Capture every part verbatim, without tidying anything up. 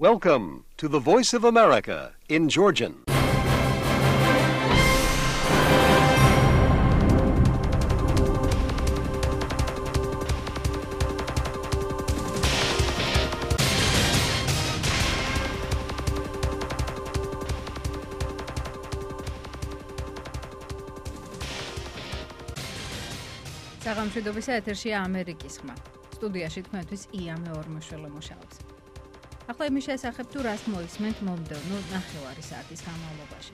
Welcome to the Voice of America in Georgian. საღამოშიდობის ეთერშია ამერიკის ხმა. სტუდიაში თქვენთვის ია მეორმოშველო მუშაობს. ახლა იმის შესახებ თუ რას მოისმენთ მომდევნო ნახევარი საათის განმავლობაში.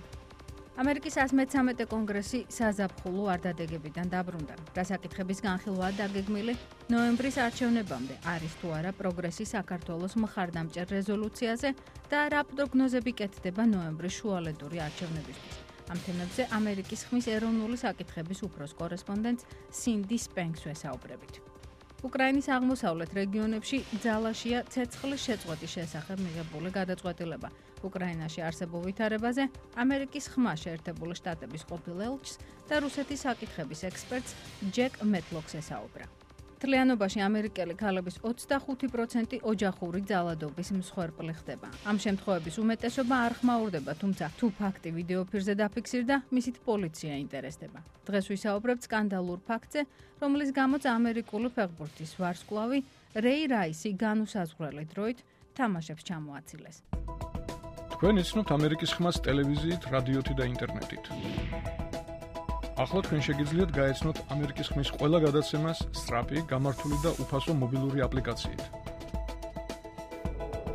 ამერიკის one hundred thirteen კონგრესი საზაფხულო არდადეგებიდან დაბრუნდა. დასაკითხების განხილვაა დაგეგმილი ნოემბრის არჩევნებამდე არის თუ არა პროგრესი საქართველოს მხარდამჭერ რეზოლუციაზე და რა პროგნოზები კეთდება ნოემბრის შუალედური არჩევნებისთვის. ამ თემებზე ამერიკის ხმის ეროვნული საკითხების უფროს კორესპონდენტ სინდი სპენკს ვესაუბრებით. უკრაინის აღმოსავლეთ რეგიონებში ძალაშია ცეცხლის შეწყვეტის შესახებ მიღებული გადაწყვეტილება. უკრაინაში არსებულ ვითარებაზე ამერიკის ხმა შეერთებული შტატების ყოფილ ელჩს და რუსეთის საკითხების ექსპერტს ჯეკ მეტლოქს ესაუბრა. მთლიანობაში ამერიკელი ქალების ოცდახუთი პროცენტი ოჯახური ძალადობის მსხვერპლი ხდება. ამ შემთხვევების უმეტესობა არ ხმაურდება, თუმცა თუ ფაქტი ვიდეოფირზე დაფიქსირდა, მისით პოლიცია ინტერესდება. დღეს ვისაუბრებთ სკანდალურ ფაქტზე, რომლის გამოც ამერიკული ფეხბურთის ვარსკვლავი რეი რაისი განუსაზღვრელი დროით თამაშებს ჩამოაცილეს. თქვენ იცნობთ ამერიკის ხმას ტელევიზიით, რადიოთი და ინტერნეტით. ახლა თქვენ შეგიძლიათ გაეცნოთ ამერიკის ხმის ყველა გადაცემას სწრაფი, გამართული და უფასო მობილური აპლიკაციით.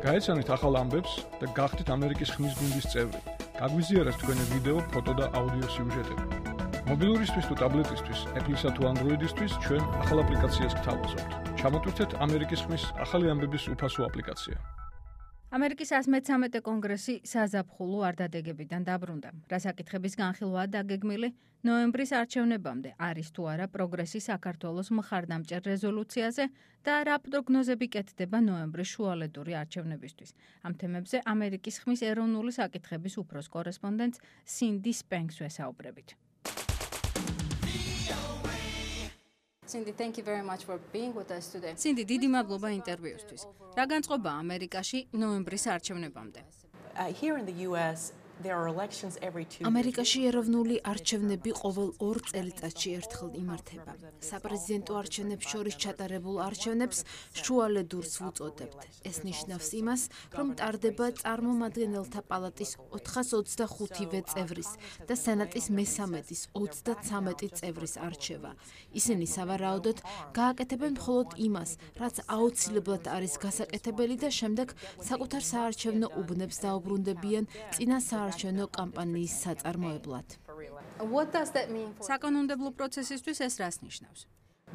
გაეცანით ახალ ამბებს და გახდით ამერიკის ხმის გუნდის წევრი. გაგვიზიარეთ თქვენი ვიდეო, ფოტო და აუდიო სიუჟეტები. მობილურისთვის თუ ტაბლეტისთვის, Apple-ისა თუ Android-ისთვის ჩვენ ახალ აპლიკაციას გთავაზობთ. ჩამოტვირთეთ ამერიკის ხმის ახალი ამბების უფასო აპლიკაცია. ამერიკის one hundred thirteen კონგრესი საზაფხულო არდადეგებიდან დაბრუნდა. რასაკითხების განხილვაა დაგეგმილი ნოემბრის არჩევნებამდე არის თუ არა პროგრესი საქართველოს მხარდამჭერ რეზოლუციაზე და რა პროგნოზები კეთდება ნოემბრის შუალედური არჩევნებისთვის. ამ თემებზე ამერიკის ხმის ეროვნული საკითხების უფროს კორესპონდენტ სინდი სპენკს ვესაუბრებით. Cindy, thank you very much for being with us today. Cindy, დიდი მადლობა ინტერვიუსთვის. რა განწყობა ამერიკაში ნოემბრის არჩევნებამდე? Uh, here in the U S there are elections every two years. ამერიკაში ეროვნული არჩევნები ყოველ ორ წელიწადში ერთხელ იმართება. საპრეზიდენტო არჩევნებს შორის ჩატარებულ არჩევნებს შუალედურს ვუწოდებთ. ეს ნიშნავს იმას, რომ ტარდება წარმომადგენელთა პალატის ოთხას ოცდახუთივე წევრის და სენატის მესამედის ოცდაცამეტი წევრის არჩევა. ისინი სავარაუდოდ გააკეთებენ მხოლოდ იმას, რაც აუცილებლად არის გასაკეთებელი და შემდეგ საკუთარ საარჩევნო უბნებს დაუბრუნდებიან წინა საარჩევნო კამპანიის საწარმოებლად. What does that mean? საკანონმდებლო პროცესისთვის ეს რას ნიშნავს?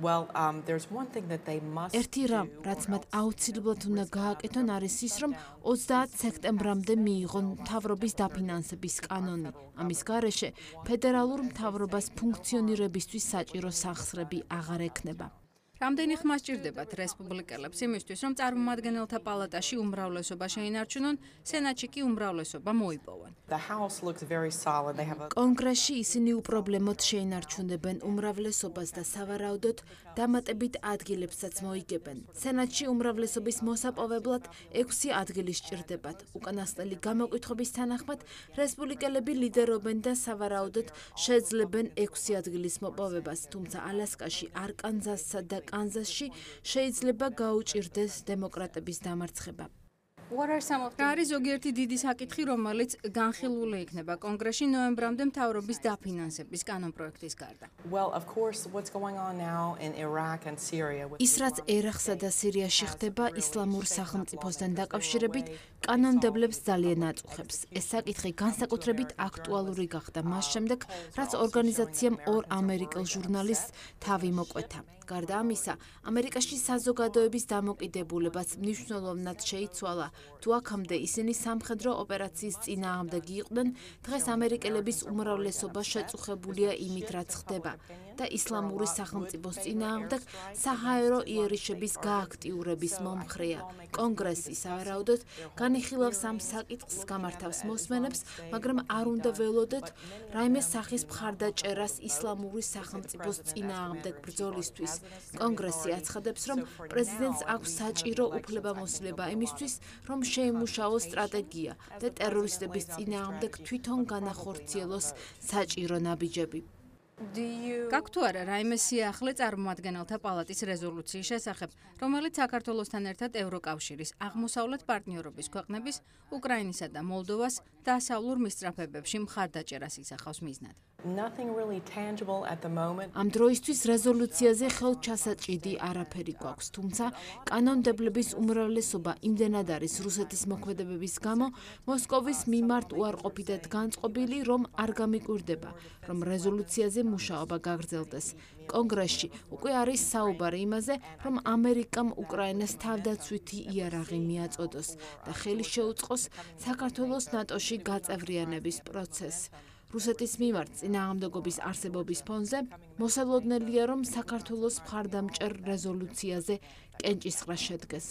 Well, um, there's one thing that they must ერთი რამ, რაც მათ აუცილებლად უნდა გააკეთონ, არის ის, რომ ოცდაათი სექტემბრამდე მიიღონ მთავრობის დაფინანსების კანონი. ამის გარეშე ფედერალურ მთავრობას ფუნქციონირებისთვის საჭირო სახსრები აღარ ექნება. რამდენი ხმა სჭირდებათ რესპუბლიკელებს იმისთვის, რომ წარმომადგენელთა პალატაში უმრავლესობა შეინარჩუნონ, სენატში კი უმრავლესობა მოიპოვონ. The House looks very solid. They have a კონგრესში ისინი უპრობლემოდ შეინარჩუნებენ უმრავლესობას და სავარაუდოდ დამატებით ადგილებსაც მოიგებენ. სენატში უმრავლესობის მოსაპოვებლად ექვსი ადგილი სჭირდებათ. უკანასკნელი გამოკითხვების თანახმად, რესპუბლიკელები ლიდერობენ და სავარაუდოდ შეძლებენ ექვსი ადგილის მოპოვებას, თუმცა ალასკაში, არკანზასსა და კანზასში შეიძლება გაუჭირდეს დემოკრატების დამარცხება. რა არის ზოგიერთი დიდი საკითხი, რომელიც განხილული იქნება კონგრესში ნოემბრამდე მთავრობის დაფინანსების კანონპროექტის გარდა? Well, of course, what's going on now in Iraq and Syria. ის რაც ერაყსა და სირიაში ხდება ისლამურ სახელმწიფოსთან დაკავშირებით, კანონმდებლებს ძალიან აწუხებს. ეს საკითხი განსაკუთრებით აქტუალური გახდა მას შემდეგ, რაც ორგანიზაციამ ორ ამერიკელ ჟურნალისტს თავი მოკვეთა. გარდა ამისა, ამერიკაში საზოგადოების დამოკიდებულებაც მნიშვნელოვნად შეიცვალა. თუ აქამდე ისინი სამხედრო ოპერაციის წინააღმდეგი იყვნენ, დღეს ამერიკელების უმრავლესობა შეწუხებულია იმით, რაც ხდება და ისლამური სახელმწიფოს წინააღმდეგ საჰაერო იერიშების გააქტიურების მომხრეა. კონგრესი სავარაუდოდ განიხილავს ამ საკითხს, გამართავს მოსმენებს, მაგრამ არ უნდა ველოდეთ რაიმე სახის მხარდაჭერას ისლამური სახელმწიფოს წინააღმდეგ ბრძოლისთვის, კონგრესი აცხადებს, რომ პრეზიდენტს აქვს საჭირო უფლებამოსილება იმისთვის, რომ შეიმუშაოს სტრატეგია და ტერორისტების წინააღმდეგ თვითონ განახორციელოს საჭირო ნაბიჯები. გაქვთ თუ არა რაიმე სიახლე წარმომადგენელთა პალატის რეზოლუციის შესახებ, რომელიც საქართველოსთან ერთად ევროკავშირის აღმოსავლეთ პარტნიორობის ქვეყნების უკრაინისა და მოლდოვას დასავლურ მისწრაფებებში მხარდაჭერას ისახავს მიზნად? Nothing really tangible at the moment. ამ დროისთვის რეზოლუციაზე ხელჩასაჭიდი არაფერი გვაქვს, თუმცა კანონმდებლების უმრავლესობა იმდენად არის რუსეთის მოქმედებების გამო მოსკოვის მიმართ უარყოფითად განწყობილი, რომ არ გამიკვირდება, რომ რეზოლუციაზე მუშაობა გაგრძელდეს. კონგრესში უკვე არის საუბარი იმაზე, რომ ამერიკამ უკრაინას თავდაცვითი იარაღი მიაწოდოს და ხელი შეუწყოს საქართველოს ნატოში გაწევრიანების პროცესს. რუსეთის მიმართ წინააღმდეგობის არსებობის ფონზე მოსალოდნელია, რომ საქართველოს მხარდამჭერ რეზოლუციაზე კენჭისყრა შედგეს.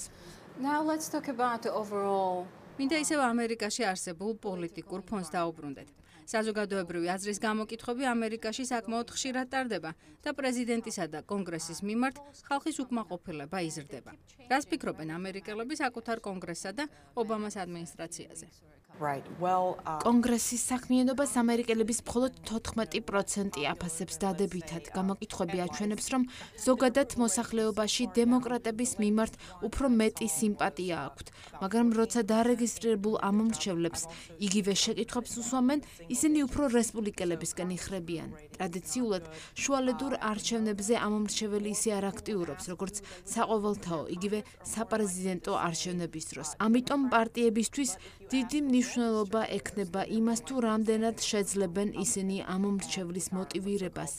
Now let's talk about the overall. მინდა ისევ ამერიკაში არსებულ პოლიტიკურ ფონს დაუბრუნდეთ. საზოგადოებრივი აზრის გამოკითხვები ამერიკაში საკმაოდ ხშირად ტარდება და პრეზიდენტისა და კონგრესის მიმართ ხალხის უკმაყოფილება იზრდება. რას ფიქრობენ ამერიკელები საკუთარ კონგრესსა და ობამას ადმინისტრაციაზე? Right. Well, uh, კონგრესის საქმიანობას ამერიკელების მხოლოდ თოთხმეტი პროცენტი აფასებს დადებითად. გამოკითხვები აჩვენებს, რომ ზოგადად მოსახლეობაში დემოკრატების მიმართ უფრო მეტი სიმპათია აქვთ, მაგრამ როცა დარეგისტრირებულ ამომრჩევლებს იგივე შეკითხვებს უსვამენ, ისინი უფრო რესპუბლიკელებისკენ იხრებიან. ტრადიციულად შუალედურ არჩევნებზე ამომრჩეველი ისე არ აქტიურობს, როგორც საყოველთაო, იგივე საპრეზიდენტო არჩევნების დროს. ამიტომ პარტიებისთვის დიდი მნიშვნელობა ექნება იმას, თუ რამდენად შეძლებენ ისინი ამომრჩევლის მოტივირებას.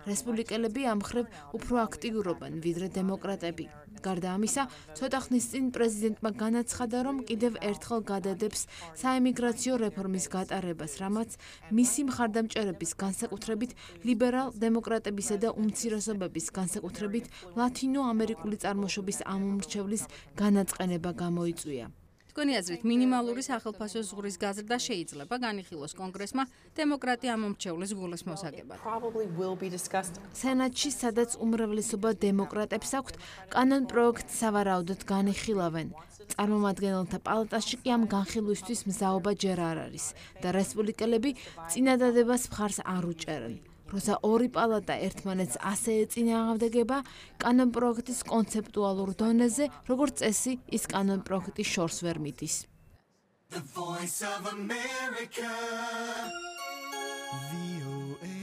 რესპუბლიკელები ამ მხრივ უფრო აქტიურობენ, ვიდრე დემოკრატები. გარდა ამისა, ცოტა ხნის წინ პრეზიდენტმა განაცხადა, რომ კიდევ ერთხელ გადადებს საემიგრაციო რეფორმის გატარებას, რამაც მისი მხარდამჭერების განსაკუთრებით ლიბერალ დემოკრატებისა და უმცირესობების განსაკუთრებით ლათინო ამერიკული წარმოშობის ამომრჩევლის განაწყენება გამოიწვია. თქვენი აზრით, მინიმალური სახელფასო ზღურის გაზრდა შეიძლება განიხილოს კონგრესმა დემოკრატი ამომრჩევლის გულის მოსაგებად. probably will be discussed. სენატში, სადაც უმრავლესობა დემოკრატებს აქვთ, კანონპროექტს სავარაუდოდ განიხილავენ. წარმომადგენელთა პალატაში კი ამ განხილვისთვის მზაობა ჯერ არ არის და რესპუბლიკელები წინადადებას მხარს არ უჭერენ. როცა ორი პალატა ერთმანეთს ასე ეწინააღმდეგება, კანონპროექტის კონცეპტუალურ დონეზე, როგორც წესი, ის კანონპროექტი შორს ვერ მიდის. The Voice of America. V O A.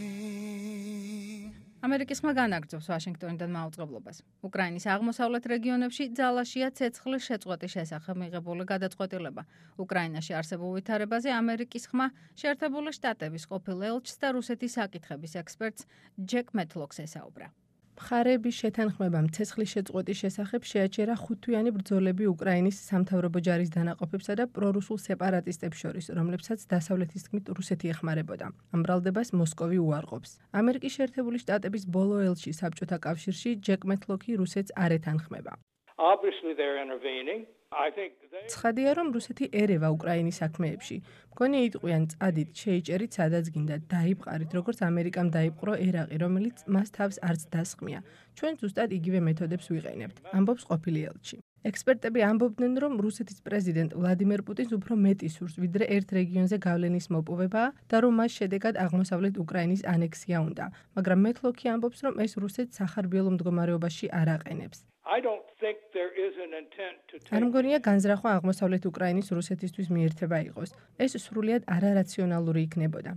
ამერიკის ხმა განაგრძობს ვაშინგტონიდან მაუწყებლობას. უკრაინის აღმოსავლეთ რეგიონებში ძალაშია ცეცხლის შეწყვეტის შესახებ მიღებული გადაწყვეტილება. უკრაინაში არსებულ ვითარებაზე ამერიკის ხმა შეერთებული შტატების ყოფილ ელჩს და რუსეთის საკითხების ექსპერტს ჯეკ მეტლოქს ესაუბრა. მხარეების შეთანხმებამ ცეცხლის შეწყვეტის შესახებ შეაჩერა ხუთთვიანი ბრძოლები უკრაინის სამთავრობო ჯარის დანაყოფებსა და პრორუსულ სეპარატისტებს შორის, რომლებსაც დასავლეთის თქმით რუსეთი ეხმარებოდა. ამ ბრალდებას მოსკოვი უარყოფს. ამერიკის შეერთებული შტატების ბოლო ელჩი საბჭოთა კავშირში ჯეკ მეტლოქი რუსეთს არ ეთანხმება. Obviously they're intervening. I think they ცხადია, რომ რუსეთი ერევა უკრაინის საქმეებში. მგონი იტყვიან წადით, შეიჭერით სადაც გინდათ, დაიბყარით, როგორც ამერიკამ დაიპყრო ერაყი, რომელიც მას თავს არც დასხმია. ჩვენ ზუსტად იგივე მეთოდებს ვიყენებთ, ამბობს ყოფილი ელჩი. ექსპერტები ამბობდნენ, რომ რუსეთის პრეზიდენტ ვლადიმერ პუტინს უფრო მეტი სურს, ვიდრე ერთ რეგიონზე გავლენის მოპოვებაა და რომ მას შედეგად აღმოსავლეთ უკრაინის ანექსია უნდა. მაგრამ მეტლოქი ამბობს, რომ ეს რუსეთს სახარბიელო მდგომარეობაში არ აყენებს. I don't think there is an intent to take არ მგონია განზრახვა აღმოსავლეთ უკრაინის რუსეთისთვის მიერთება იყოს. ეს სრულიად არარაციონალური იქნებოდა.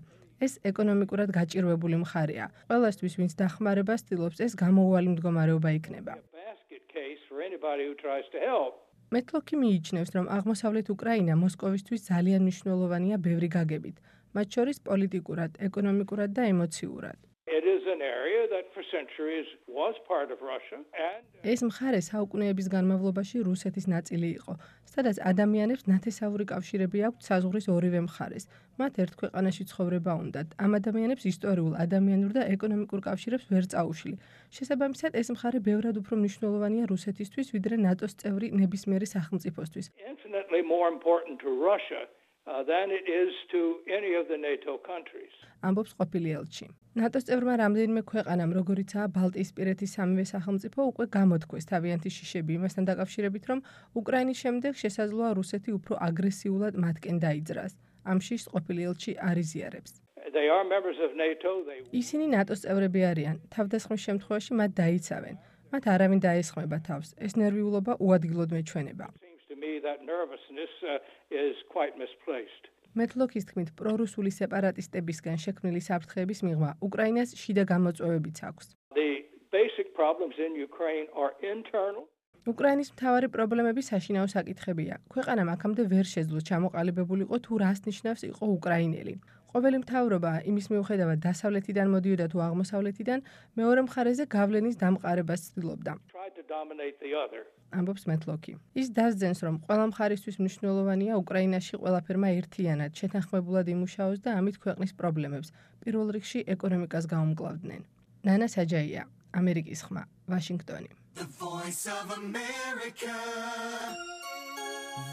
ეს ეკონომიკურად გაჭირვებული მხარეა. ყველასთვის, ვინც დახმარებას ცდილობს, ეს გამოუვალი მდგომარეობა იქნება. basket case for anybody who tries to help. მეტლოქი მიიჩნევს, რომ აღმოსავლეთ უკრაინა მოსკოვისთვის ძალიან მნიშვნელოვანია ბევრი გაგებით, მათ შორის პოლიტიკურად, ეკონომიკურად და ემოციურად. It is an area that for centuries was part of Russia and ეს მხარე საუკუნეების განმავლობაში რუსეთის ნაწილი იყო, სადაც ადამიანებს ნათესაური კავშირები აქვთ საზღვრის ორივე მხარეს. მათ ერთ ქვეყანაში ცხოვრება უნდათ. ამ ადამიანებს ისტორიულ, ადამიანურ და ეკონომიკურ კავშირებს ვერ წაუშლი. შესაბამისად, ეს მხარე ბევრად უფრო მნიშვნელოვანია რუსეთისთვის, ვიდრე ნატოს წევრი ნებისმიერი სახელმწიფოსთვის. infinitely more important to Russia uh, than it is to any of the NATO countries. ამბობს ყოფილი ელჩი. ნატოს წევრმა რამდენიმე ქვეყანამ, როგორიცაა ბალტიისპირეთის სამივე სახელმწიფო, უკვე გამოთქვეს თავიანთი შიშები იმასთან დაკავშირებით, რომ უკრაინის შემდეგ შესაძლოა რუსეთი უფრო აგრესიულად მათკენ დაიძრას. ამ შიშს ყოფილი ელჩი არ იზიარებს. They are members of NATO. They ისინი ნატოს წევრები არიან. თავდასხმის შემთხვევაში მათ დაიცავენ. მათ არავინ დაესხმება თავს. ეს ნერვიულობა უადგილოდ მეჩვენება. seems to me that nervousness uh, is quite misplaced. მეტლოკის თქმით, პრორუსული სეპარატისტებისგან შექმნილი საფრთხეების მიღმა უკრაინას შიდა გამოწვევებიც აქვს. The basic problems in Ukraine are internal. უკრაინის მთავარი პრობლემები საშინაო საკითხებია. ქვეყანამ აქამდე ვერ შეძლო ჩამოყალიბებულიყო თუ რას ნიშნავს იყო უკრაინელი. ყოველი მთავრობა იმის მიუხედავად დასავლეთიდან მოდიოდა თუ აღმოსავლეთიდან, მეორე მხარეზე გავლენის დამყარებას ცდილობდა. Tried to dominate the other. ამბობს მეტლოკი. ის დასძენს, რომ ყველა მხარისთვის მნიშვნელოვანია უკრაინაში ყველაფერმა ერთიანად შეთანხმებულად იმუშაოს და ამით ქვეყნის პრობლემებს, პირველ რიგში ეკონომიკას გაუმკლავდნენ. ნანა საჯაია, ამერიკის ხმა, ვაშინგტონი. The voice of America.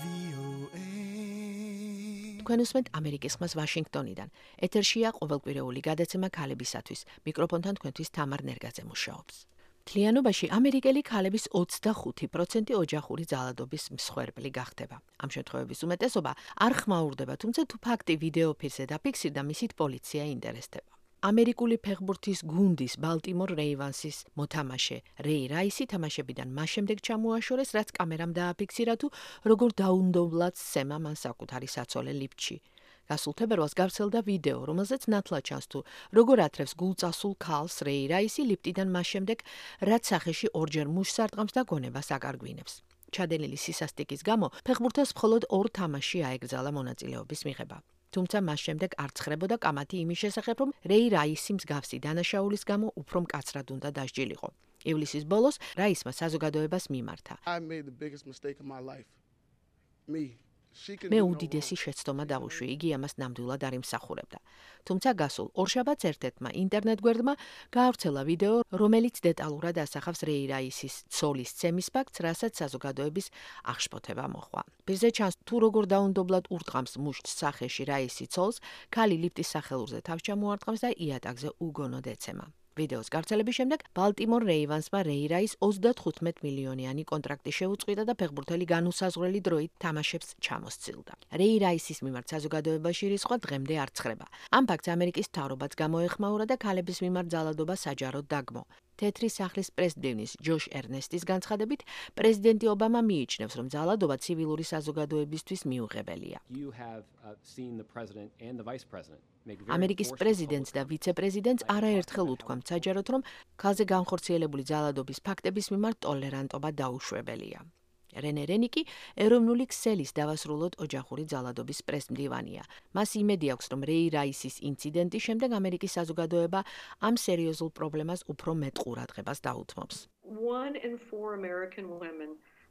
V O A. თქვენ უსმენთ ამერიკის ხმას ვაშინგტონიდან. ეთერშია ყოველკვირეული გადაცემა ქალებისათვის. მიკროფონთან თქვენთვის თამარ ნერგაძე მუშაობს. მთლიანობაში ამერიკელი ქალების ოცდახუთი პროცენტი ოჯახური ძალადობის მსხვერპლი გახდება. ამ შემთხვევების უმეტესობა არ ხმაურდება, თუმცა თუ ფაქტი ვიდეო ფირზე დაფიქსირდა, მისით პოლიცია ინტერესდება. ამერიკული ფეხბურთის გუნდის ბალტიმორ რეივანსის მოთამაშე რეი რაისი თამაშებიდან მას შემდეგ ჩამოაშორეს, რაც კამერამ დააფიქსირა თუ როგორ დაუნდობლად სცემა მან საკუთარი საცოლე ლიფტში. გასულ თებერვალს გავრცელდა ვიდეო, რომელზეც ნათლად ჩანს თუ როგორ ათრევს გულწასულ ქალს რეი რაისი ლიფტიდან მას შემდეგ, რაც სახეში ორჯერ მუშს არტყამს და გონებას აკარგვინებს. ჩადენილი სისასტიკის გამო ფეხბურთელს მხოლოდ ორ თამაშში აეკრძალა მონაწილეობის მიღება. თუმცა მას შემდეგ არ ცხრებოდა კამათი იმის შესახებ, რომ რეი რაისი მსგავსი დანაშაულის გამო უფრო მკაცრად უნდა დასჯილიყო. ივლისის ბოლოს რაისმა საზოგადოებას მიმართა. I made the biggest mistake of my life. Me. მე უდიდესი შეცდომა დავუშვი, იგი ამას ნამდვილად არ იმსახურებდა. თუმცა გასულ ორშაბათს ერთ-ერთმა ინტერნეტ გვერდმა გაავრცელა ვიდეო, რომელიც დეტალურად ასახავს რეი რაისის ცოლის ცემის ფაქტს, რასაც საზოგადოების აღშფოთება მოჰყვა. პირზე ჩანს თუ როგორ დაუნდობლად ურტყამს მუშტს სახეში რაისი ცოლს, ქალი ლიფტის სახელურზე თავს ჩამოარტყამს და იატაკზე უგონოდ ეცემა. ვიდეოს გავრცელების შემდეგ ბალტიმორ რეივანსმა რეი რაის ოცდათხუთმეტ მილიონიანი კონტრაქტი შეუწყვიტა და ფეხბურთელი განუსაზღვრელი დროით თამაშებს ჩამოსცილდა. რეი რაისის მიმართ საზოგადოებაში რისხვა დღემდე არ ცხრება. ამ ფაქტს ამერიკის მთავრობაც გამოეხმაურა და ქალების მიმართ ძალადობა საჯაროდ დაგმო. თეთრი სახლის პრეზიდენტის ჯოშ ერნესტის განცხადებით, პრეზიდენტი ობამა მიიჩნევს, რომ ძალადობა ცივილური საზოგადოებისთვის მიუღებელია. ამერიკის პრეზიდენტს და ვიცე-პრეზიდენტს არაერთხელ უთქვამთ საჯაროდ, რომ ქალზე განხორციელებული ძალადობის ფაქტების მიმართ ტოლერანტობა დაუშვებელია. რენე რენიკი ეროვნული ქსელის დავასრულოთ ოჯახური ძალადობის პრესმდივანია. მას იმედი აქვს, რომ რეი რაისის ინციდენტის შემდეგ ამერიკის საზოგადოება ამ სერიოზულ პრობლემას უფრო მეტ ყურადღებას დაუთმობს.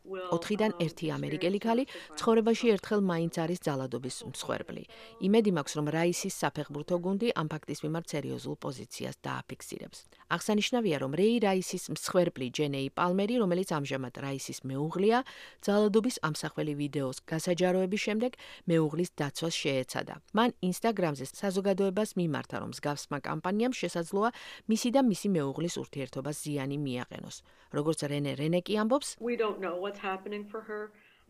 ოთხიდან ერთი ამერიკელი ქალი ცხოვრებაში ერთხელ მაინც არის ძალადობის მსხვერპლი. იმედი მაქვს, რომ რაისის საფეხბურთო გუნდი ამ ფაქტის მიმართ სერიოზულ პოზიციას დააფიქსირებს. აღსანიშნავია, რომ რეი რაისის მსხვერპლი ჯენეი პალმერი, რომელიც ამჟამად რაისის მეუღლეა, ძალადობის ამსახველი ვიდეოს გასაჯაროების შემდეგ მეუღლის დაცვას შეეცადა. მან ინსტაგრამზე საზოგადოებას მიმართა, რომ მსგავსმა კამპანიამ შესაძლოა მისი და მისი მეუღლის ურთიერთობას ზიანი მიაყენოს. როგორც რენე რენეკი ამბობს,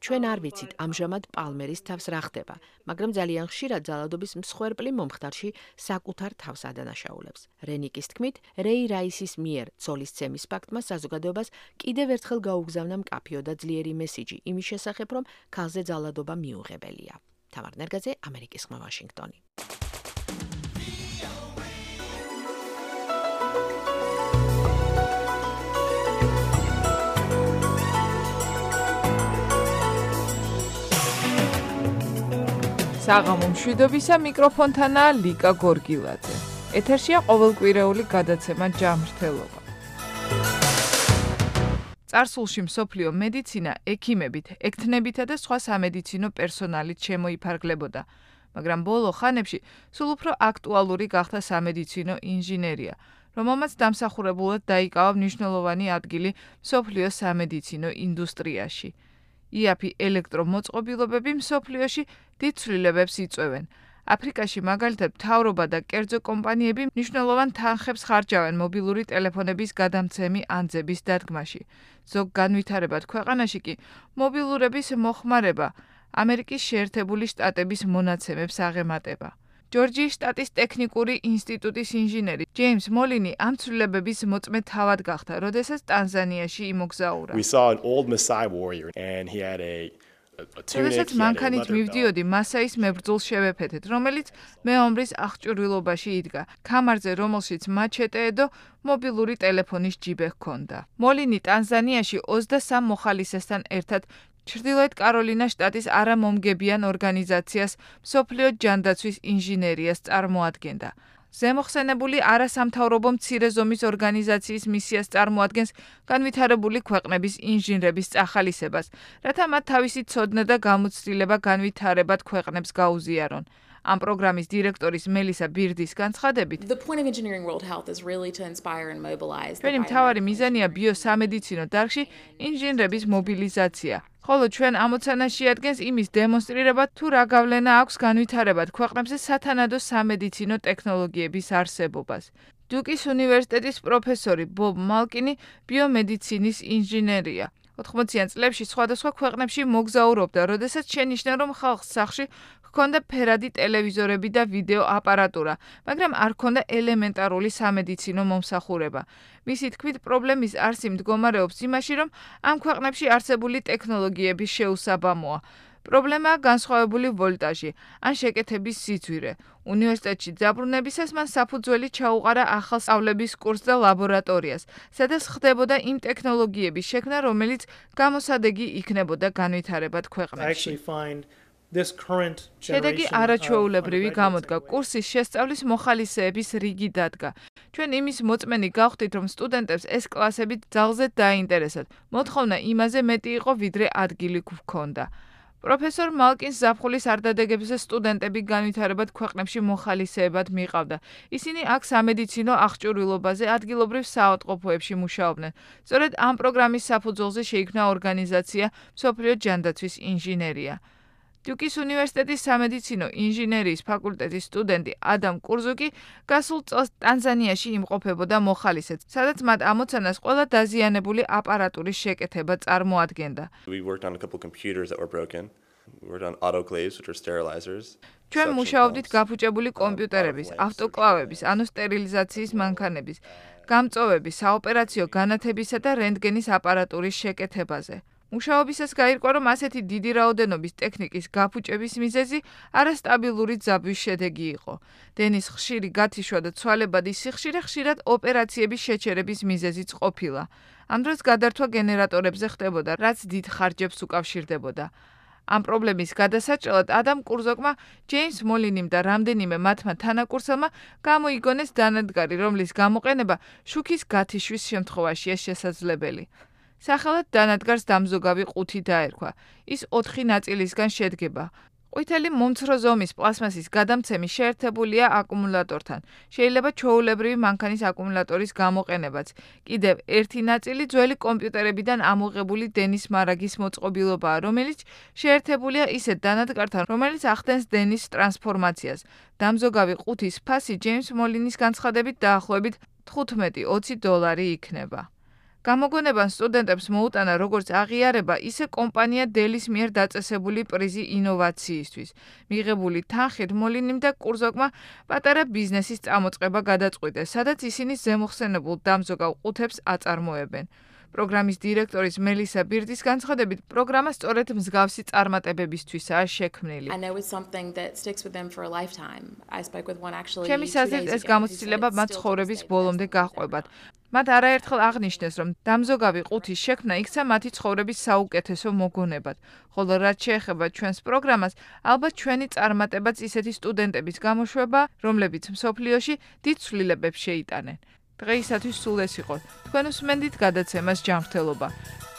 ჩვენ არ ვიცით ამჟამად პალმერის თავს რა ხდება, მაგრამ ძალიან ხშირად ძალადობის მსხვერპლი მომხდარში საკუთარ თავს ადანაშაულებს. რენიკის თქმით, რეი რაისის მიერ ცოლის ცემის ფაქტმა საზოგადოებას კიდევ ერთხელ გაუგზავნა მკაფიო და ძლიერი მესიჯი იმის შესახებ, რომ ქალზე ძალადობა მიუღებელია. თამარ ნერგაძე, ამერიკის ხმა, ვაშინგტონი. საღამო მშვიდობისა, მიკროფონთანაა ლიკა გორგილაძე. ეთერშია ყოველკვირეული გადაცემა ჯანმრთელობა. წარსულში მსოფლიო მედიცინა ექიმებით, ექთნებითა და სხვა სამედიცინო პერსონალით შემოიფარგლებოდა, მაგრამ ბოლო ხანებში სულ უფრო აქტუალური გახდა სამედიცინო ინჟინერია, რომელმაც დამსახურებულად დაიკავა მნიშვნელოვანი ადგილი მსოფლიო სამედიცინო ინდუსტრიაში. იაფი ელექტრომოწყობილობები მსოფლიოში დიდ ცვლილებებს იწვევენ. აფრიკაში მაგალითად მთავრობა და კერძო კომპანიები მნიშვნელოვან თანხებს ხარჯავენ მობილური ტელეფონების გადამცემი ანძების დადგმაში. ზოგ განვითარებად ქვეყანაში კი მობილურების მოხმარება ამერიკის შეერთებული შტატების მონაცემებს აღემატება. ჯორჯიის შტატის ტექნიკური ინსტიტუტის ინჟინერი ჯეიმს მოლინი ამ ცვლილებების მოწმე თავად გახდა, როდესაც ტანზანიაში იმოგზაურა. We saw an old Maasai warrior and he had a როდესაც მანქანით მივდიოდი მასაის მებრძოლს შევეფეთეთ, რომელიც მეომრის აღჭურვილობაში იდგა, ქამარზე რომელშიც მაჩეტეედო მობილური ტელეფონის ჯიბე ჰქონდა. მოლინი ტანზანიაში ოცდასამ მოხალისესთან ერთად ჩრდილოეთ კაროლინას შტატის არამომგებიან ორგანიზაციას მსოფლიო ჯანდაცვის ინჟინერიას წარმოადგენდა. ზემოხსენებული არასამთავრობო მცირე ზომის ორგანიზაციის მისიას წარმოადგენს განვითარებული ქვეყნების ინჟინრების წახალისებას, რათა მათ თავისი ცოდნა და გამოცდილება განვითარებად ქვეყნებს გაუზიარონ. ამ პროგრამის დირექტორის მელისა ბირდის განცხადებით, ჩვენი მთავარი მიზანია ბიოსამედიცინო დარგში ინჟინრების მობილიზაცია. ხოლო ჩვენ ამოცანაში ადგენს იმის დემონსტრირება, თუ რა გავლენა აქვს განვითარებად ქვეყნებზე სათანადო სამედიცინო ტექნოლოგიების არსებობას. დუკის უნივერსიტეტის პროფესორი ბობ მალკინი ბიომედიცინის ინჟინერია. ოთხმოციან წლებში სხვადასხვა ქვეყნებში მოგზაურობდა, როდესაც შენიშნა, რომ ხალხს სახლში ჰქონდა ფერადი ტელევიზორები და ვიდეო აპარატურა, მაგრამ არ ჰქონდა ელემენტარული სამედიცინო მომსახურება. მისი თქმით, პრობლემის არსი მდგომარეობს იმაში, რომ ამ ქვეყნებში არსებული ტექნოლოგიების შეუსაბამოა. პრობლემაა განსხვავებული ვოლტაჟი ან შეკეთების სიძვირე. უნივერსიტეტში დაბრუნებისას მან საფუძველი ჩაუყარა ახალ სწავლების კურსს და ლაბორატორიას, სადაც ხდებოდა იმ ტექნოლოგიების შექმნა, რომელიც გამოსადეგი იქნებოდა განვითარებად ქვეყნებში. შედეგი არაჩვეულებრივი გამოდგა. კურსის შესწავლის მოხალისეების რიგი დადგა. ჩვენ იმის მოწმენი გავხდით, რომ სტუდენტებს ეს კლასები ძალზე დაინტერესათ. მოთხოვნა იმაზე მეტი იყო, ვიდრე ადგილი გვქონდა. პროფესორ მალკინს ზაფხულის არდადეგებზე სტუდენტები განვითარებად ქვეყნებში მოხალისეებად მიყავდა. ისინი აქ სამედიცინო აღჭურვილობაზე ადგილობრივ საავადმყოფოებში მუშაობდნენ. სწორედ ამ პროგრამის საფუძველზე შეიქმნა ორგანიზაცია მსოფლიო ჯანდაცვის ინჟინერია. დუკის უნივერსიტეტის სამედიცინო ინჟინერიის ფაკულტეტის სტუდენტი ადამ კურზუკი გასულ წელს ტანზანიაში იმყოფებოდა მოხალისედ, სადაც მათ ამოცანას ყველა დაზიანებული აპარატურის შეკეთება წარმოადგენდა. We worked on a couple computers that were broken. We worked on autoclaves, which are sterilizers. ჩვენ მუშაობდით გაფუჭებული კომპიუტერების, ავტოკლავების, ანუ სტერილიზაციის მანქანების, გამწოვების, საოპერაციო განათებისა და რენტგენის აპარატურის შეკეთებაზე. მუშაობისას გაირკვა, რომ ასეთი დიდი რაოდენობის ტექნიკის გაფუჭების მიზეზი არასტაბილური ძაბვის შედეგი იყო. დენის ხშირი გათიშვა და ცვალებადი სიხშირე ხშირად ოპერაციების შეჩერების მიზეზიც ყოფილა. ამ დროს გადართვა გენერატორებზე ხდებოდა, რაც დიდ ხარჯებს უკავშირდებოდა. ამ პრობლემის გადასაჭრელად ადამ კურზოკმა, ჯეიმს მოლინიმ და რამდენიმე მათმა თანაკურსელმა გამოიგონეს დანადგარი, რომლის გამოყენება შუქის გათიშვის შემთხვევაშია შესაძლებელი. სახელად დანადგარს დამზოგავი ყუთი დაერქვა. ის ოთხი ნაწილისგან შედგება. ყვითელი მომცრო ზომის პლასმასის გადამცემი შეერთებულია აკუმულატორთან. შეიძლება ჩვეულებრივი მანქანის აკუმულატორის გამოყენებაც. კიდევ ერთი ნაწილი ძველი კომპიუტერებიდან ამოღებული დენის მარაგის მოწყობილობაა, რომელიც შეერთებულია ისეთ დანადგართან, რომელიც ახდენს დენის ტრანსფორმაციას. დამზოგავი ყუთის ფასი ჯეიმს მოლინის განცხადებით დაახლოებით თხუთმეტი ოცი დოლარი იქნება. გამოგონებამ სტუდენტებს მოუტანა როგორც აღიარება, ისე კომპანია დელის მიერ დაწესებული პრიზი ინოვაციისთვის. მიღებული თანხით მოლინიმ და კურზოკმა პატარა ბიზნესის წამოწყება გადაწყვიტეს, სადაც ისინი ზემოხსენებულ დამზოგავ ყუთებს აწარმოებენ. პროგრამის დირექტორის მელისა ბირდის განცხადებით, პროგრამა სწორედ მსგავსი წარმატებებისთვისაა შექმნილი. ჩემი აზრით, ეს გამოცდილება მათ ცხოვრების ბოლომდე გაჰყვებათ. მათ არაერთხელ აღნიშნეს, რომ დამზოგავი ყუთის შექმნა იქცა მათი ცხოვრების საუკეთესო მოგონებად. ხოლო რაც შეეხება ჩვენს პროგრამას, ალბათ ჩვენი წარმატებაც ისეთი სტუდენტების გამოშვება, რომლებიც მსოფლიოში დიდ ცვლილებებს შეიტანენ. დღეისათვის სულ ეს იყო. თქვენ უსმენდით გადაცემას ჯანმრთელობა.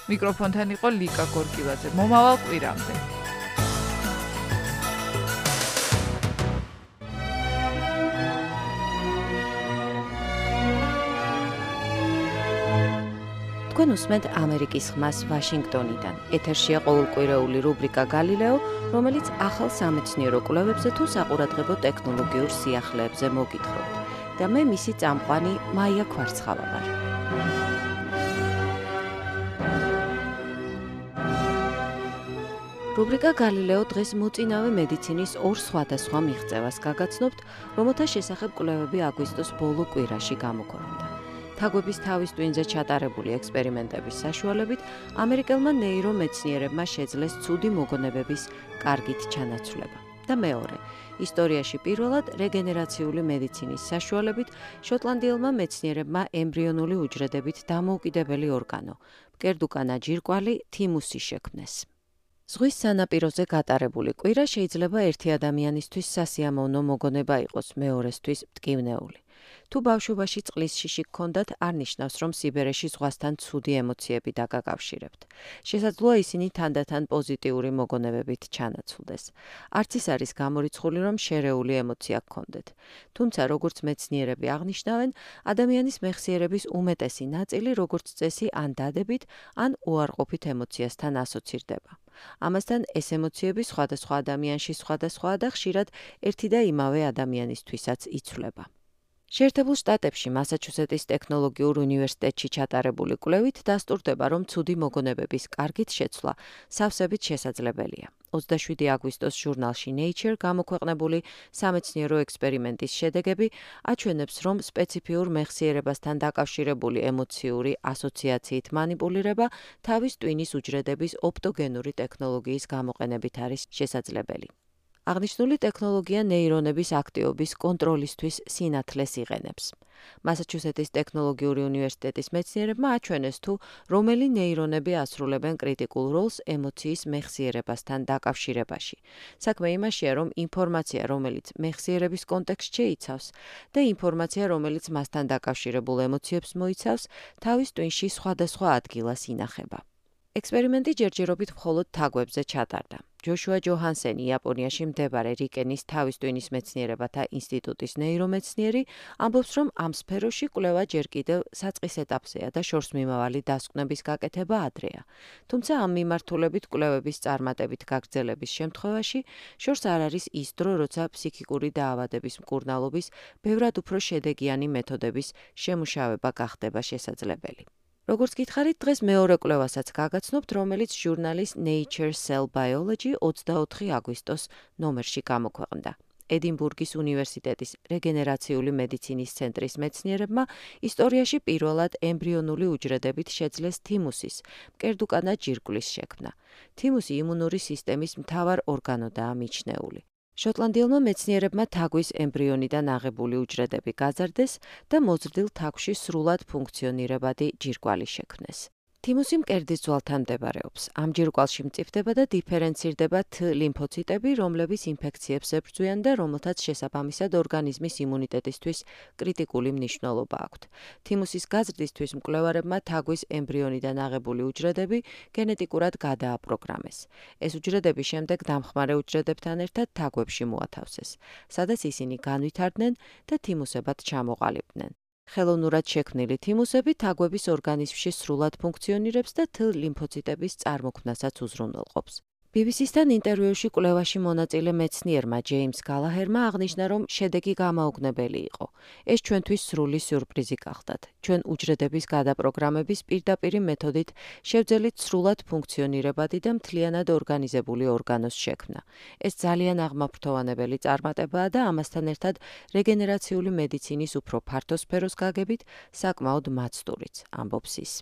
მიკროფონთან იყო ლიკა გორკილაძე. მომავალ კვირამდე. თქვენ უსმენთ ამერიკის ხმას ვაშინგტონიდან. ეთერშია ყოველკვირეული რუბრიკა გალილეო, რომელიც ახალ სამეცნიერო კვლევებზე თუ საყურადღებო ტექნოლოგიურ სიახლეებზე მოგითხრობთ. და მე მისი წამყვანი მაია ქვარცხავა ვარ. რუბრიკა გალილეო დღეს მოწინავე მედიცინის ორ სხვადასხვა მიღწევას გაგაცნობთ, რომელთა შესახებ კვლევები აგვისტოს ბოლო კვირაში გამოქვეყნდა. თაგვების თავის ტვინზე ჩატარებული ექსპერიმენტების საშუალებით ამერიკელმა ნეირომეცნიერებმა შეძლეს ცუდი მოგონებების კარგით ჩანაცვლება. და მეორე, ისტორიაში პირველად რეგენერაციული მედიცინის საშუალებით შოტლანდიელმა მეცნიერებმა ემბრიონული უჯრედებით დამოუკიდებელი ორგანო, მკერდუკანა ჯირკვალი თიმუსი შექმნეს. ზღვის სანაპიროზე გატარებული კვირა შეიძლება ერთი ადამიანისთვის სასიამოვნო მოგონება იყოს, მეორესთვის მტკივნეული. თუ ბავშვობაში წყლის შიში გქონდათ, არ ნიშნავს, რომ სიბერეში ზღვასთან ცუდი ემოციები დაგაკავშირებთ. შესაძლოა ისინი თანდათან პოზიტიური მოგონებებით ჩანაცვლდეს. არც ის არის გამორიცხული, რომ შერეული ემოცია გქონდეთ. თუმცა, როგორც მეცნიერები აღნიშნავენ, ადამიანის მეხსიერების უმეტესი ნაწილი, როგორც წესი, ან დადებით, ან უარყოფით ემოციასთან ასოცირდება. ამასთან ეს ემოციები სხვადასხვა ადამიანში სხვადასხვაა და ხშირად ერთი და იმავე ადამიანისთვისაც იცვლება. შეერთებულ შტატებში მასაჩუსეტის ტექნოლოგიურ უნივერსიტეტში ჩატარებული კვლევით დასტურდება, რომ ცუდი მოგონებების კარგით შეცვლა სავსებით შესაძლებელია. ოცდაშვიდი აგვისტოს ჟურნალში Nature გამოქვეყნებული სამეცნიერო ექსპერიმენტის შედეგები აჩვენებს, რომ სპეციფიურ მეხსიერებასთან დაკავშირებული ემოციური ასოციაციით მანიპულირება თავის ტვინის უჯრედების ოპტოგენური ტექნოლოგიის გამოყენებით არის შესაძლებელი. აღნიშნული ტექნოლოგია ნეირონების აქტივობის კონტროლისთვის სინათლეს იღენებს. მასაჩუსეტის ტექნოლოგიური უნივერსიტეტის მეცნიერებმა აჩვენეს, თუ რომელი ნეირონები ასრულებენ კრიტიკულ როლს ემოციის მეხსიერებასთან დაკავშირებაში. საქმე იმაშია, რომ ინფორმაცია, რომელიც მეხსიერების კონტექსტში იცავს და ინფორმაცია, რომელიც მასთან დაკავშირებულ ემოციებს მოიცავს, თავის ტვინში სხვადასხვა ადგილას ინახება. ექსპერიმენტი ჯერჯერობით მხოლოდ თაგვებზე ჩატარდა. ჯოშუა ჯოჰანსენი, იაპონიაში მდებარე რიკენის თავის ტვინის მეცნიერებათა ინსტიტუტის ნეირომეცნიერი, ამბობს, რომ ამ სფეროში კვლევა ჯერ კიდევ საწყის ეტაპზეა და შორსმიმავალი დასკვნების გაკეთება ადრეა. თუმცა ამ მიმართულებით კვლევების წარმატებით გაგრძელების შემთხვევაში შორს არ არის ის დრო, როცა ფსიქიკური დაავადების მკურნალობის ბევრად უფრო შედეგიანი მეთოდების შემუშავება გახდება შესაძლებელი. როგორც გითხარით, დღეს მეორე კვლევასაც გაგაცნობთ, რომელიც ჟურნალის Nature Cell Biology ოცდაოთხი აგვისტოს ნომერში გამოქვეყნდა. ედინბურგის უნივერსიტეტის რეგენერაციული მედიცინის ცენტრის მეცნიერებმა ისტორიაში პირველად ემბრიონული უჯრედებით შეძლეს თიმუსის, მკერდუკანა ჯირკვლის შექმნა. თიმუსი იმუნური სისტემის მთავარ ორგანოდაა მიჩნეული. შოტლანდიელმა მეცნიერებმა თაგვის ემბრიონიდან აღებული უჯრედები გაზარდეს და მოზრდილ თაგვში სრულად ფუნქციონირებადი ჯირკვალი შექმნეს. თიმუსი მკერდის ძვალთან მდებარეობს. ამ ჯირკვალში მწიფდება და დიფერენცირდება T ლიმფოციტები, რომლებიც ინფექციებს ებრძვიან და რომელთაც შესაბამისად ორგანიზმის იმუნიტეტისთვის კრიტიკული მნიშვნელობა აქვთ. თიმუსის გაზრდისთვის მკვლევარებმა თაგვის ემბრიონიდან აღებული უჯრედები გენეტიკურად გადააპროგრამეს. ეს უჯრედები შემდეგ დამხმარე უჯრედებთან ერთად თაგვებში მოათავსეს, სადაც ისინი განვითარდნენ და თიმუსებად ჩამოყალიბდნენ. ხელოვნურად შექმნილი თიმუსები თაგვების ორგანიზმში სრულად ფუნქციონირებს და T ლიმფოციტების წარმოქმნასაც უზრუნველყოფს. ბი ბი სი-სთან ინტერვიუში კვლევაში მონაწილე მეცნიერმა ჯეიმს გალაჰერმა აღნიშნა, რომ შედეგი გამაოგნებელი იყო. ეს ჩვენთვის სრული სიურპრიზი გახდათ. ჩვენ უჯრედების გადაპროგრამების პირდაპირი მეთოდით შევძელით სრულად ფუნქციონირებადი და მთლიანად ორგანიზებული ორგანოს შექმნა. ეს ძალიან აღმაფრთოვანებელი წარმატებაა და ამასთან ერთად რეგენერაციული მედიცინის უფრო ფართო სფეროს გაგებით საკმაოდ მაცდურიც, ამბობს ის.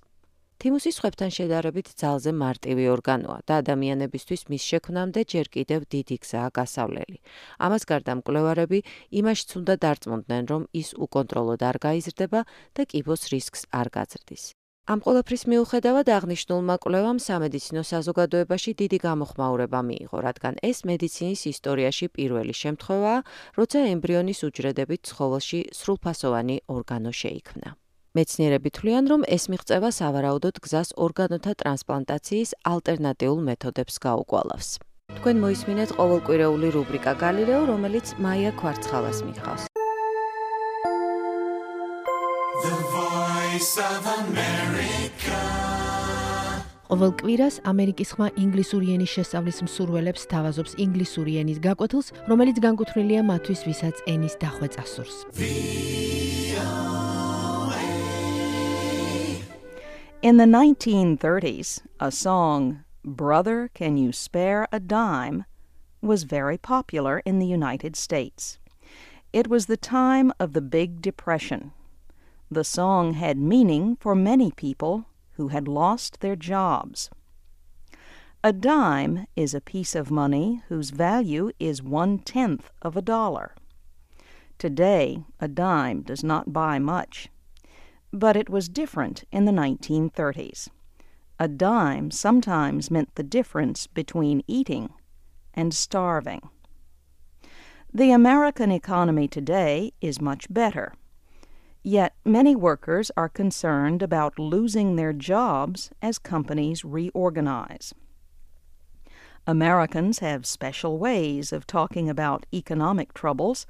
თიმუსი სხვებთან შედარებით ძალზე მარტივი ორგანოა და ადამიანებისთვის მის შექმნამდე ჯერ კიდევ დიდი გზაა გასავლელი. ამას გარდა მკვლევარები იმაშიც უნდა დარწმუნდნენ, რომ ის უკონტროლოდ არ გაიზრდება და კიბოს რისკს არ გაძრდის. ამ ყველაფრის მიუხედავად აღნიშნულმა კვლევამ სამედიცინო საზოგადოებაში დიდი გამოხმაურება მიიღო, რადგან ეს მედიცინის ისტორიაში პირველი შემთხვევაა, როცა ემბრიონის უჯრედებით ცხოველში სრულფასოვანი ორგანო შეიქმნა. მეცნიერები თვლიან, რომ ეს მიღწევა სავარაუდოდ გზას ორგანოთა ტრანსპლანტაციის ალტერნატიულ მეთოდებს გაუგვალავს. თქვენ მოისმინეთ ყოველკვირეული რუბრიკა გალილეო, რომელიც მაია ქვარცხალას მიხავს. The Voice of America ყოველ კვირას ამერიკის ხმა ინგლისური ენის შესწავლის მსურველებს თავაზობს ინგლისური ენის გაკვეთილს, რომელიც განკუთვნილია მათთვის, ვისაც ენის დახვეწა სურს. In the nineteen thirties, a song, Brother, Can You Spare a Dime, was very popular in the United States. It was the time of the Big Depression. The song had meaning for many people who had lost their jobs. A dime is a piece of money whose value is one-tenth of a dollar. Today, a dime does not buy much. But it was different in the nineteen thirties. A dime sometimes meant the difference between eating and starving. The American economy today is much better. Yet many workers are concerned about losing their jobs as companies reorganize. Americans have special ways of talking about economic troubles.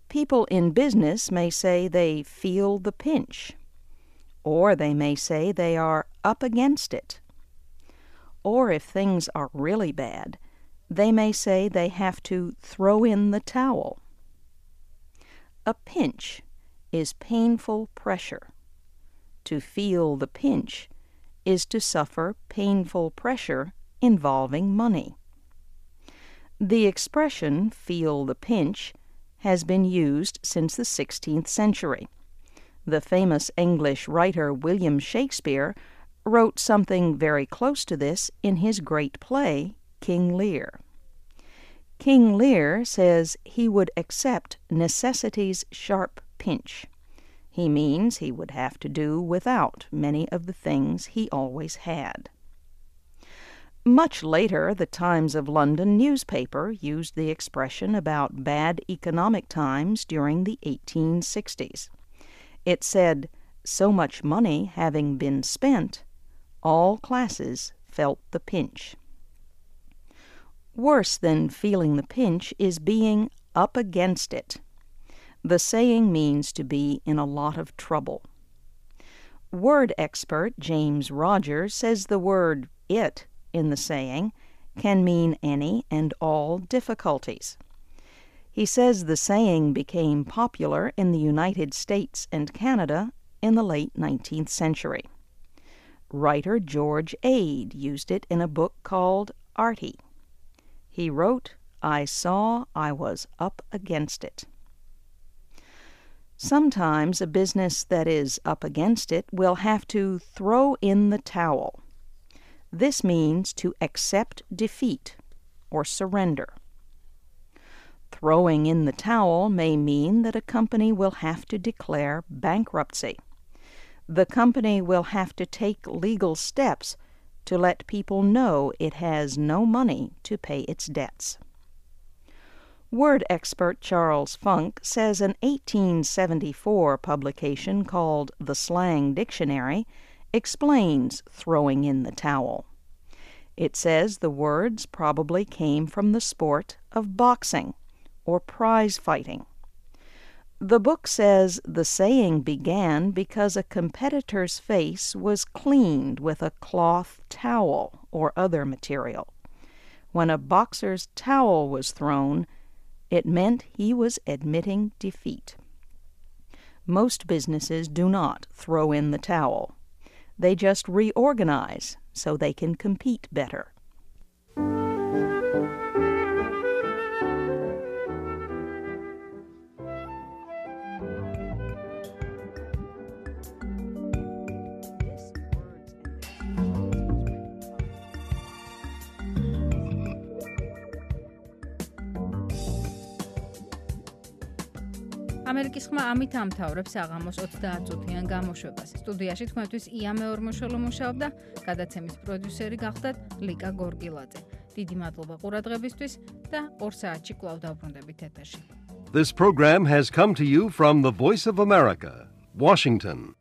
People in business may say they feel the pinch, or they may say they are up against it. Or if things are really bad, they may say they have to throw in the towel. A pinch is painful pressure. To feel the pinch is to suffer painful pressure involving money. The expression feel the pinch has been used since the sixteenth century. The famous English writer William Shakespeare wrote something very close to this in his great play, King Lear. King Lear says he would accept necessity's sharp pinch. He means he would have to do without many of the things he always had. Much later, the Times of London newspaper used the expression about bad economic times during the eighteen sixties. It said, so much money having been spent, all classes felt the pinch. Worse than feeling the pinch is being up against it. The saying means to be in a lot of trouble. Word expert James Rogers says the word it in the saying can mean any and all difficulties. He says the saying became popular in the United States and Canada in the late nineteenth century. Writer George Ade used it in a book called Artie. He wrote, I saw I was up against it. Sometimes a business that is up against it will have to throw in the towel. This means to accept defeat or surrender. Throwing in the towel may mean that a company will have to declare bankruptcy. The company will have to take legal steps to let people know it has no money to pay its debts. Word expert Charles Funk says an eighteen seventy-four publication called The Slang Dictionary explains throwing in the towel. It says the words probably came from the sport of boxing or prize fighting. The book says the saying began because a competitor's face was cleaned with a cloth towel or other material. When a boxer's towel was thrown, it meant he was admitting defeat. Most businesses do not throw in the towel. They just reorganize so they can compete better. ამერიკის ხმა ამით ამთავრებს აღამოს ოცდაათწუთიან გამოშვებას. სტუდიაში თქვენთვის ია მეორმოშოლო მუშაობდა, გადაცემის პროდიუსერი გახდათ ლიკა გორგილაძე. დიდი მადლობა ყურადღებისთვის და ორ საათში კვლავ დავბრუნდებით ეთერში. This program has come to you from the Voice of America, Washington.